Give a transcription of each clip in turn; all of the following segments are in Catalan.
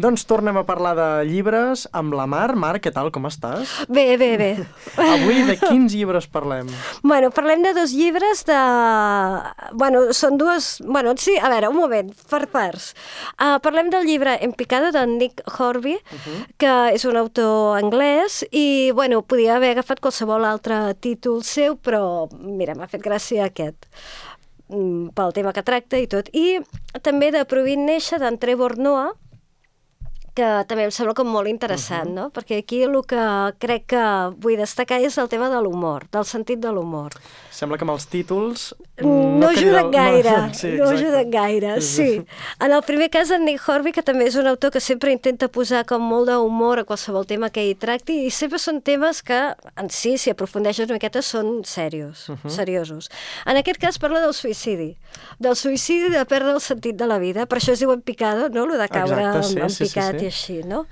Doncs tornem a parlar de llibres amb la Mar. Mar, què tal, com estàs? Bé. Avui de quins llibres parlem? Bueno, parlem de 2 llibres de... Bueno, són dues... Bueno, sí, a veure, un moment, per parts. Parlem del llibre En picado, de Nick Hornby, que és un autor anglès, i, bueno, podia haver agafat qualsevol altre títol seu, però, mira, m'ha fet gràcia aquest, pel tema que tracta i tot. I també de Provint néixer, d'en Trevor Noah, que també em sembla com molt interessant, no? Perquè aquí el que crec que vull destacar és el tema de l'humor, del sentit de l'humor. Sembla que amb els títols... No ajuden gaire, no ajuden gaire, sí. En el primer cas, en Nick Hornby, que també és un autor que sempre intenta posar com molt d'humor a qualsevol tema que hi tracti, i sempre són temes que, en si aprofundeixes una miqueta, són seriosos. En aquest cas parla del suïcidi de perdre el sentit de la vida, per això es diu En picado, no?, el de caure en picat i així, no?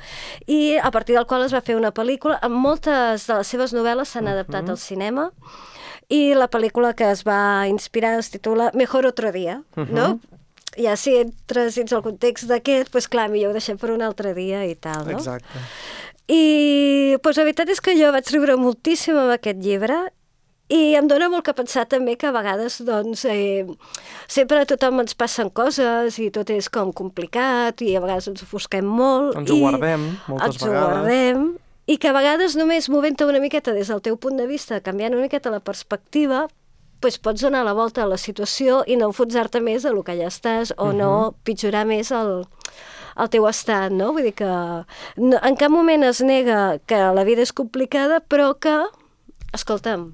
I a partir del qual es va fer una pel·lícula, amb moltes de les seves novel·les s'han adaptat al cinema, i la pel·lícula que es va inspirar es titula Mejor otro día, no? Ja si entres dins el context d'aquest, doncs clar, millor ho deixem per un altre dia i tal, no? Exacte. I doncs la veritat és que jo vaig riure moltíssim amb aquest llibre, i em dóna molt que pensar també que a vegades, doncs, sempre a tothom ens passen coses i tot és com complicat i a vegades ens ofusquem molt. Ens ho guardem moltes vegades. Ens ho guardem. I que a vegades només movent-te una miqueta des del teu punt de vista, canviant una miqueta la perspectiva, doncs pots donar la volta a la situació i no enfonsar-te més del que ja estàs o no pitjorar més el teu estat, no? Vull dir que en cap moment es nega que la vida és complicada, però que, escolta'm,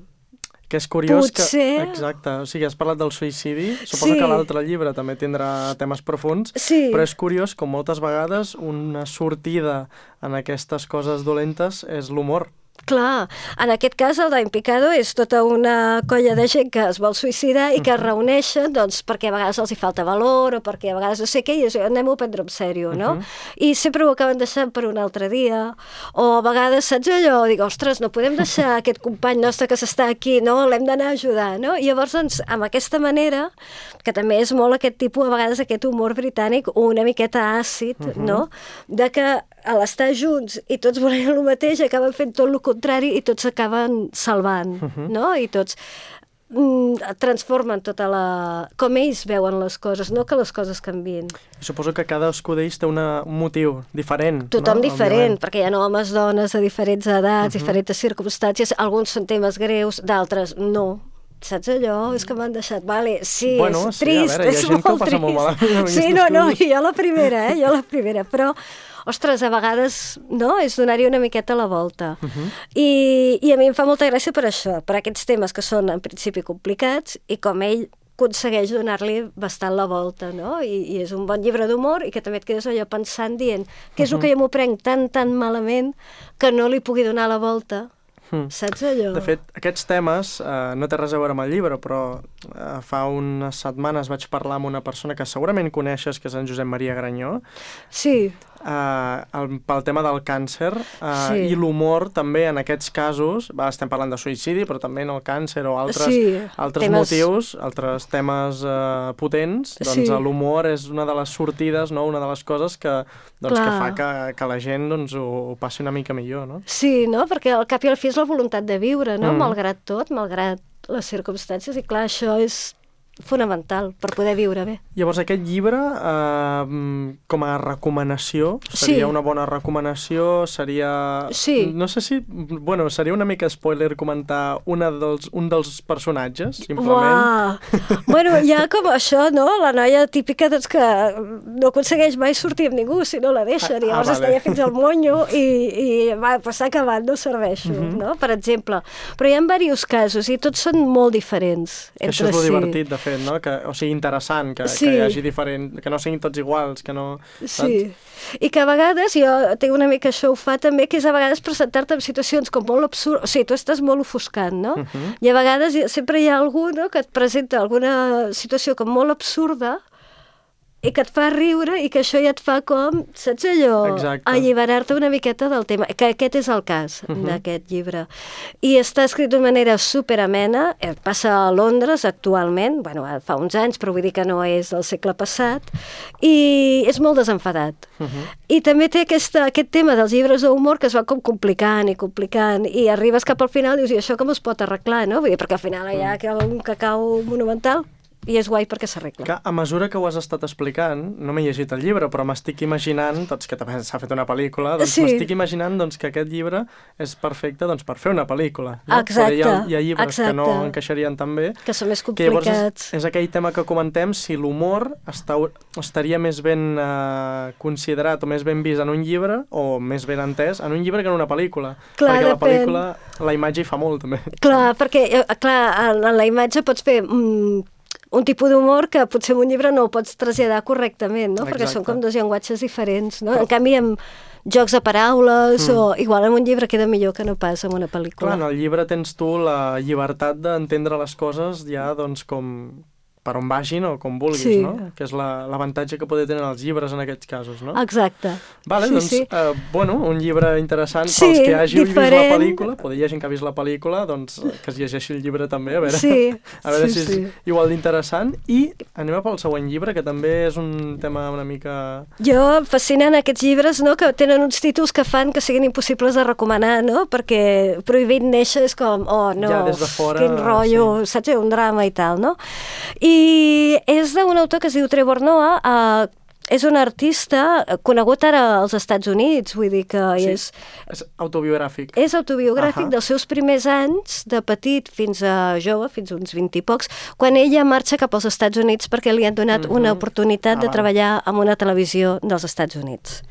que és curiós potser... Exacte, o sigui, has parlat del suïcidi, suposo que l'altre llibre també tindrà temes profunds, però és curiós com moltes vegades una sortida en aquestes coses dolentes és l'humor. Clar, en aquest cas el d'En picado és tota una colla de gent que es vol suïcidar i que es reuneixen, doncs, perquè a vegades els hi falta valor o perquè a vegades no sé què, i anem-ho a prendre en sèrio, no? I sempre ho acaben deixant per un altre dia, o a vegades, saps allò? Dic, ostres, no podem deixar aquest company nostre que s'està aquí, no? L'hem d'anar a ajudar, no? I llavors, doncs, amb aquesta manera, que també és molt aquest tipus, a vegades aquest humor britànic, una miqueta àcid, no? De que a l'estar junts i tots volent el mateix acaben fent tot el contrari i tots s'acaben salvant, no? I tots transformen tota la... com ells veuen les coses, no que les coses canvien. Suposo que cadascú d'ells té un motiu diferent. Tothom no? diferent, perquè hi ha homes, dones de diferents edats, diferents circumstàncies, alguns són temes greus, d'altres no. Saps allò? És que m'han deixat... Vale, sí, bueno, és trist, a veure, és molt trist. Molt malament, sí, no, jo la primera, però ostres, a vegades, no?, és donar-hi una miqueta la volta. I a mi em fa molta gràcia per això, per aquests temes que són en principi complicats i com ell aconsegueix donar-li bastant la volta, no? I és un bon llibre d'humor i que també et quedes allò pensant, dient que és el que jo m'ho prenc tan malament que no li pugui donar la volta. Saps allò? De fet, aquests temes no té res a veure amb el llibre, però fa unes setmanes vaig parlar amb una persona que segurament coneixes, que és en Josep Maria Granyó. Sí. Pel tema del càncer i l'humor també en aquests casos, estem parlant de suïcidi, però també en el càncer o altres motius, altres temes potents, doncs l'humor és una de les sortides, no? Una de les coses que fa que la gent ho passi una mica millor, no? Sí, no? Perquè al cap i al fi és la voluntat de viure, no? Malgrat tot, malgrat les circumstàncies, i clar, això és fonamental per poder viure bé. Llavors, aquest llibre, com a recomanació, seria una bona recomanació, seria... Sí. No sé si... Bueno, seria una mica spoiler comentar un dels personatges, simplement. Uah! Bueno, hi ha com això, no? La noia típica, doncs, que no aconsegueix mai sortir amb ningú si no la deixen, i llavors es deia fins al monyo i va passar acabat, no serveixo, no? Per exemple. Però hi ha diversos casos i tots són molt diferents entre si. Això és molt divertit, de fet, no? O sigui, interessant, que hi hagi diferent, que no siguin tots iguals, que no... Sí, i que a vegades, jo tinc una mica això ho fa també, que és a vegades presentar-te en situacions com molt absurdes, o sigui, tu estàs molt ofuscant, no? I a vegades sempre hi ha algú, no?, que et presenta alguna situació com molt absurda i que et fa riure i que això ja et fa com, saps allò? Exacte. Alliberar-te una miqueta del tema, que aquest és el cas d'aquest llibre. I està escrit d'una manera superamena, passa a Londres actualment, bueno, fa uns anys, però vull dir que no és del segle passat, i és molt desenfadat. I també té aquest tema dels llibres d'humor que es va com complicant i arribes cap al final i dius, i això com es pot arreglar, no? Vull dir, perquè al final hi ha un cacau monumental i és guai perquè s'arregla. A mesura que ho has estat explicant, no m'he llegit el llibre, però m'estic imaginant, doncs que també s'ha fet una pel·lícula, doncs m'estic imaginant doncs, que aquest llibre és perfecte doncs, per fer una pel·lícula. No? Exacte. Hi ha llibres que no encaixarien tan bé. Que són més complicats. Que llavors és aquell tema que comentem, si l'humor estaria més ben considerat o més ben vist en un llibre o més ben entès en un llibre que en una pel·lícula. Clar, perquè la pel·lícula, la imatge hi fa molt, també. Clar, perquè en la imatge pots fer un tipus d'humor que potser en un llibre no ho pots traslladar correctament, no? Perquè són com dos llenguatges diferents, no? En canvi, amb jocs de paraules o igual en un llibre queda millor que no pas en una pel·lícula. Clar, en el llibre tens tu la llibertat d'entendre les coses ja, doncs, com per on vagin o com vulguis, no? Que és l'avantatge que poden tenir els llibres en aquests casos, no? Exacte. Vale, doncs, bueno, un llibre interessant pels que hàgiu vist la pel·lícula, poder hi hagi que ha vist la pel·lícula, doncs que es llegeixi el llibre també, a veure si és igual d'interessant. I anem pel següent llibre, que també és un tema una mica... Jo, fascinant aquests llibres, no?, que tenen uns títols que fan que siguin impossibles de recomanar, no?, perquè Prohibit néixer és com, oh, no, ja des de fora, quin rotllo, saps, un drama i tal, no? I és d'un autor que es diu Trevor Noah, és un artista conegut ara als Estats Units, vull dir que és autobiogràfic. És autobiogràfic dels seus primers anys, de petit fins a jove, fins uns 20 i pocs, quan ella marxa cap als Estats Units perquè li han donat una oportunitat de treballar en una televisió dels Estats Units.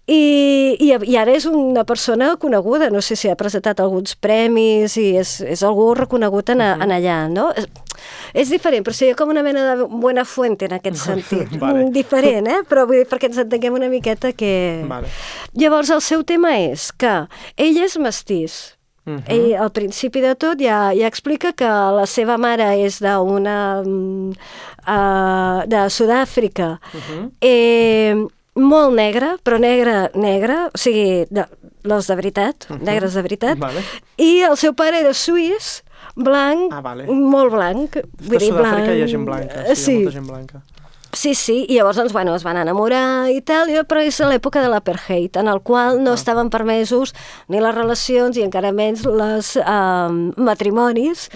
I ara és una persona coneguda, no sé si ha presentat alguns premis i és algú reconegut en allà, no? És diferent, però seria com una mena de buena fuente en aquest sentit. Diferent, però vull dir perquè ens entenguem una miqueta que... Llavors, el seu tema és que ell és mestís. Ell, al principi de tot, ja explica que la seva mare és de Sud-àfrica, molt negra, però negra, o sigui, les de veritat, negres de veritat, i el seu pare era suís, blanc, molt blanc. A Sud-àfrica hi ha gent blanca, hi ha molta gent blanca. Sí, i llavors es van enamorar i tal, però és a l'època de l'apartheid, en el qual no estaven permesos ni les relacions i encara menys els matrimonis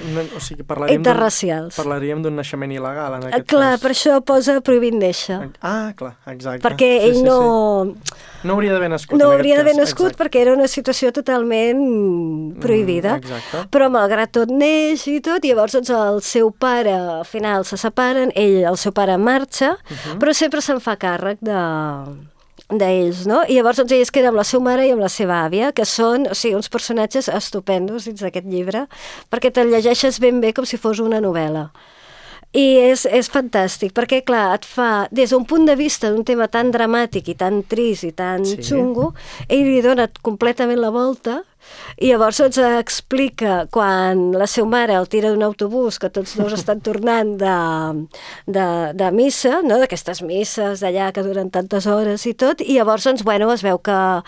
interracials. Parlaríem d'un naixement il·legal, en aquest cas. Clar, per això posa Prohibit néixer. Clar, exacte. Perquè ell no... No hauria d'haver nascut. No hauria d'haver nascut perquè era una situació totalment prohibida. Però malgrat tot neix i tot, i llavors el seu pare, al final se separen, el seu pare marxa, però sempre se'n fa càrrec d'ells, no? I llavors ell es queda amb la seva mare i amb la seva àvia, que són, o sigui, uns personatges estupendos dins d'aquest llibre, perquè te'l llegeixes ben bé com si fos una novel·la. I és fantàstic, perquè, clar, et fa, des d'un punt de vista d'un tema tan dramàtic i tan trist i tan xungo, ell li dona completament la volta, i llavors ens explica quan la seva mare el tira d'un autobús, que tots dos estan tornant de missa, no?, d'aquestes misses d'allà que duren tantes hores i tot, i llavors, es veu que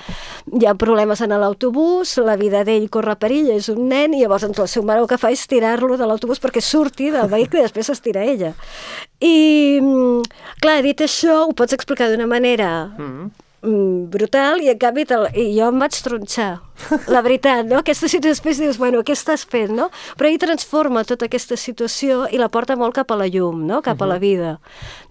hi ha problemes en l'autobús, la vida d'ell corre perill, és un nen, i llavors la seva mare el que fa és tirar-lo de l'autobús perquè surti del vehicle i després s'estira ella. I, clar, dit això, ho pots explicar d'una manera brutal, i en canvi jo em vaig tronxar, la veritat, no? Aquesta situació, després dius, bueno, què estàs fent, no? Però ell transforma tota aquesta situació i la porta molt cap a la llum, no? Cap a la vida.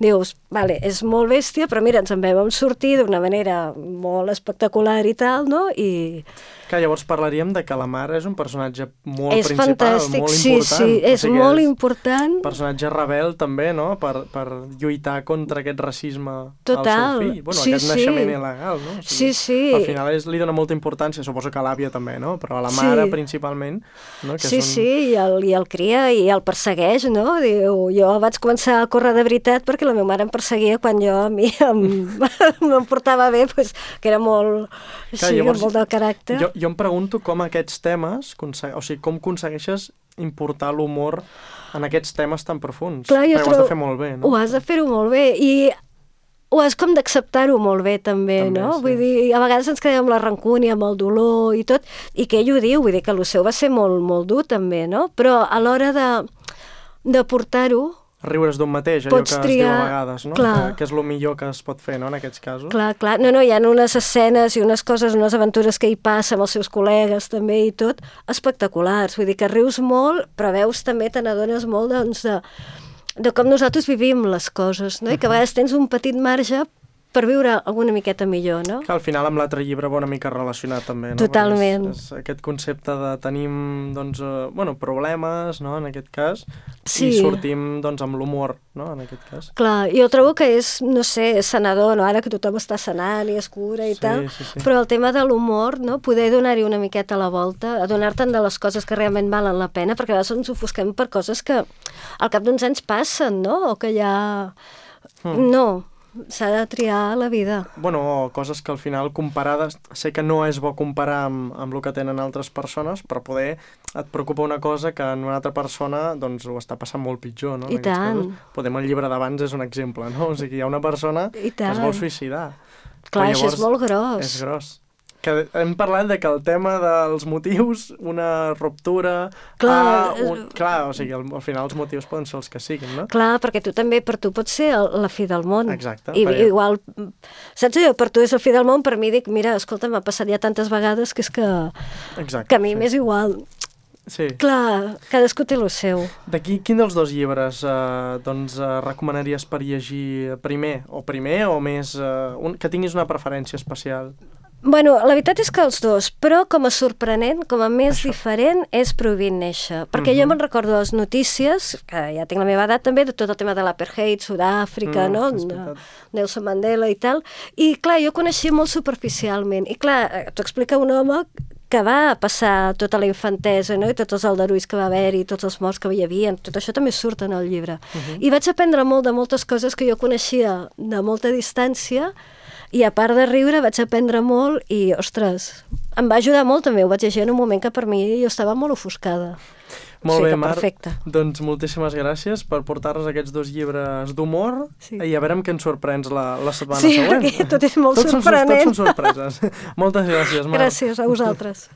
Dius, vale, és molt bèstia, però mira, ens en vam sortir d'una manera molt espectacular i tal, no? I... Que llavors parlaríem de que la mare és un personatge molt principal, fantàstic, molt important. Sí, és molt important. Personatge rebel també, no?, per lluitar contra aquest racisme al seu fill. Bueno, aquest naixement il·legal, no? O sigui, sí. Al final li dona molta importància, suposo que a l'àvia també, no? Però a la mare principalment. No? Que i el cria i el persegueix, no? Diu, jo vaig començar a córrer de veritat perquè la meva mare em perseguia quan jo a mi em portava bé, que era molt, molt del caràcter. Jo em pregunto com aquests temes, o sigui, com aconsegueixes importar l'humor en aquests temes tan profuns. Clar, perquè ho has de fer molt bé, no? Ho has de fer-ho molt bé, i o és com d'acceptar-ho molt bé, també, no? Sí. Vull dir, a vegades ens quedem amb la rancúnia, amb el dolor i tot, i que ell ho diu, vull dir que el seu va ser molt, molt dur, també, no? Però a l'hora de portar-ho, riure's d'un mateix, allò que es diu a vegades, no? Clar. Que és el millor que es pot fer, no?, en aquests casos. Clar. No, hi ha unes escenes i unes coses, unes aventures que hi passa amb els seus col·legues també i tot, espectaculars. Vull dir que rius molt, però veus també, te n'adones molt, doncs, de com nosaltres vivim les coses, no? I que a vegades tens un petit marge per viure alguna miqueta millor, no? Que al final amb l'altre llibre va una mica relacionat també, no? Totalment. És aquest concepte de tenim, doncs, problemes, no?, en aquest cas, sí. I sortim, doncs, amb l'humor, no?, en aquest cas. Clar, jo trobo que és, no sé, sanador, no?, ara que tothom està sanant i es cura i tal, sí. Però el tema de l'humor, no?, poder donar-hi una miqueta la volta, adonar-te'n de les coses que realment valen la pena, perquè a vegades ens ofusquem per coses que al cap d'uns anys passen, no?, o que ja... No, s'ha de triar la vida. Bueno, coses que al final comparades, sé que no és bo comparar amb el que tenen altres persones, però poder et preocupa una cosa que en una altra persona doncs ho està passant molt pitjor, no? I tant. Podem el llibre d'abans és un exemple, no? O sigui, hi ha una persona que es vol suïcidar. Clar, això és molt gros. És gros. Que hem parlat de que el tema dels motius, una ruptura... Clar, o sigui, al final els motius poden ser els que siguin, no? Clar, perquè per tu pot ser la fi del món. Exacte. Igual, saps allò, per tu és la fi del món, per mi dic, mira, escolta, m'ha passat ja tantes vegades que és que... Exacte, que a mi m'és igual. Sí. Clar, cadascú té el seu. D'aquí, quin dels dos llibres recomanaries per llegir primer o més... que tinguis una preferència especial? Bueno, la veritat és que els dos, però com a sorprenent, com a més diferent, és Prohibint néixer. Perquè jo me'n recordo les notícies, que ja tinc la meva edat també, de tot el tema de l'apartheid, Sud-àfrica, no? Nelson Mandela i tal. I clar, jo coneixia molt superficialment. I clar, t'ho explica un home que va passar tota la infantesa, no? I tots els aldarulls que va haver-hi, tots els morts que hi havia, tot això també surt en el llibre. I vaig aprendre molt de moltes coses que jo coneixia de molta distància, i a part de riure vaig aprendre molt i, ostres, em va ajudar molt també, ho vaig llegir en un moment que per mi jo estava molt ofuscada. Molt bé, Mar, perfecte. Doncs moltíssimes gràcies per portar-nos aquests dos llibres d'humor i a veure amb què ens sorprens la setmana següent. Sí, tot és molt sorprenent. Tots són sorpreses. Moltes gràcies, Mar. Gràcies a vosaltres.